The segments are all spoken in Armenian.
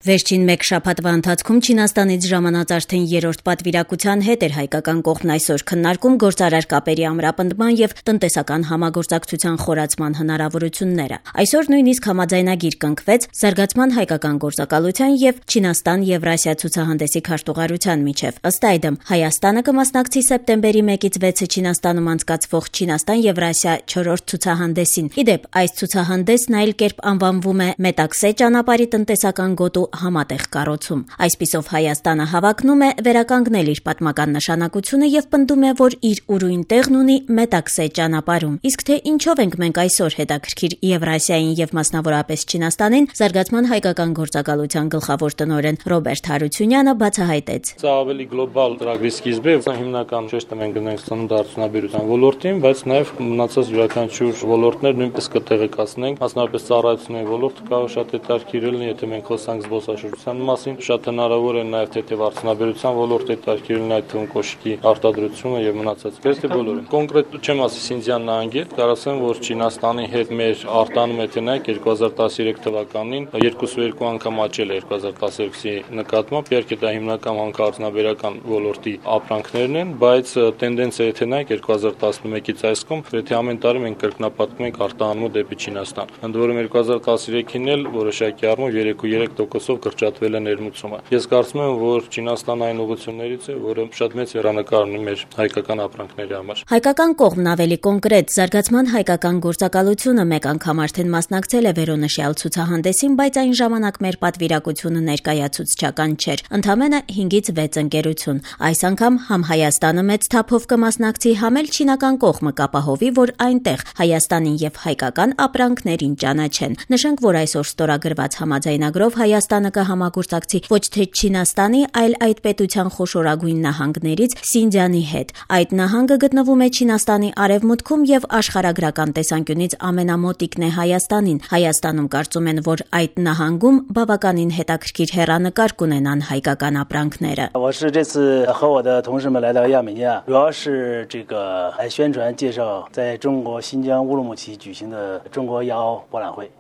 Վերջին մեկ շաբաթվա ընթացքում Չինաստանից ժամանած արդեն երրորդ պատվիրակության հետ էր հայկական կողմն այսօր քննարկում գործարար կապերի ամրապնդման եւ տնտեսական համագործակցության խորացման հնարավորությունները։ Այսօր նույնիսկ համաձայնագիր կնքվեց զարգացման հայկական գործակալության եւ Չինաստան-Եվրասիա ցուցահանդեսի քարտուղարության միջև։ Ըստ այդմ, Հայաստանը կմասնակցի սեպտեմբերի 1-ից 6-ը Չինաստանում անցկացվող Չինաստան-Եվրասիա 4-րդ ցուցահանդեսին։ Իդեպ, այս ցուցահանդեսն այլ կերպ անվանվում է Մետաքսե ճանապարհի տնտեսական գոտու համատեղ կառուցում։ Այսպիսով Հայաստանը հավակնում է վերականգնել իր պատմական նշանակությունը եւ պնդում է, որ իր ուրույն տեղն ունի Մետաքսե ճանապարհում։ Իսկ թե ինչով ենք մենք այսօր հետաքրքիր Եվրասիային եւ մասնավորապես Չինաստանին, զարգացման հայկական գործակալության գլխավոր տնօրեն Ռոբերտ Հարությունյանը բացահայտեց։ Սա ավելի գլոբալ ծրագրի սկիզբ է, հիմնական շեշտը մենք գտնենք արդյունաբերության ոլորտին, բայց նաեւ մնացած յուրաքանչյուր ոլորտներ նույնպես կտեղեկացնենք, մասնավորապես ծառայությունների ոլորտը կարող շատ հետաքրքիր լինի, եթե մենք խոսանք զբոսաշրջության մասին, շատ հնարավոր է նաև թեթև արդյունաբերության ոլորտը հետաքրքիր այդ թվում կոշիկի արտադրությունը եւ մնացած գրեթե բոլորը։ Կոնկրետ չեմ ասի Սինձյան նահանգի, կարող ասեմ, որ Չինաստանի հետ մեր արտանում եթե նայեք 2013 թվականին 2.2 անգամ աճել է 2012-ի նկատմամբ, իհարկե դա հիմնական հանքարդյունաբերական ոլորտի ապրանքներն են, բայց տենդենսը եթե նայեք 2011-ից այս կողմ, գրեթե ամեն տարի մենք կրկնապատկում ենք արտահանումը դեպի Չինաստան։ Ընդ որում 2013-ին էլ որոշակի առումով 3.3%-ով կրճատվել է ներմուծումը։ Ես կարծում եմ, որ Չինաստանը այն ուղղություններից է, որը շատ մեծ հեռանկար ունի մեր հայկական ապրանքների համար։ Հայկական կողմն ավելի կոնկրետ զարգացման հայկական գործակալությունը մեկ անգամ արդեն մասնակցել է վերոնշյալ ցուցահանդեսին, բայց այն ժամանակ մեր պատվիրակությունը ներկայացուցչական չէր։ Ընդամենը 5-ից 6 ընկերություն։ Այս անգամ համ Հայաստանը մեծ թափով կմասնակցի, համ էլ չինական կողմը կապահովի, որ այնտեղ Հայաստանին եւ հայկական ապրանքներին ճանաչեն։ Նշենք, որ այսօր ստորագրված համաձայնագրով Հայաստանը կհամագործակցի ոչ թե Չինաստանի, այլ այդ պետության խոշորագույն նահանգներից Սինձյանի հետ։ Այդ նահանգը գտնվում է Չինաստանի արևմուտքում եւ աշխարհագրական տեսանկյունից ամենամոտիկն է Հայաստանին։ Հայաստանում կարծում են, որ այդ նահանգում բավականին հետաքրքիր հեռանկար կունենան հայկական ապրանքները։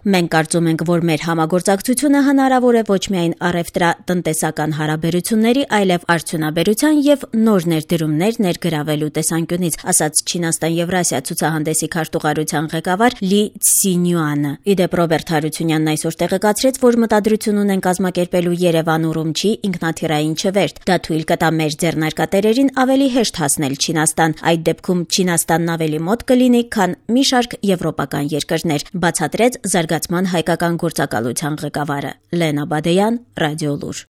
Մենք կարծում ենք, որ մեր համագործակցությունը հնարավոր է ոչ միայն առևտրատնտեսական հարաբերությունների, այլև արդյունաբերության եւ նոր ներդրումներ ներգրավելու տեսանկյունից, ասաց Չինաստան-Եվրասիա ցուցահանդեսի քարտուղարության ղեկավար Լի Ցինյուանը։ Իդեպ Ռոբերտ Հարությունյանն այսօր տեղեկացրեց, որ մտադրություն ունեն կազմակերպելու Երևան-Ուրումչի ինքնաթիռային չվերթ։ Դա թույլ կտա մեր ձեռնարկատերերին ավելի հեշտ հասնել Չինաստան։ Այդ դեպքում Չինաստանն ավելի մոտ կլինի, քան մի շարք եվրոպական երկրներ, բացատրեց զարգացման հայկական գործակալության ղեկավարը։ Լենա Բադեյան, Ռադիոլուր։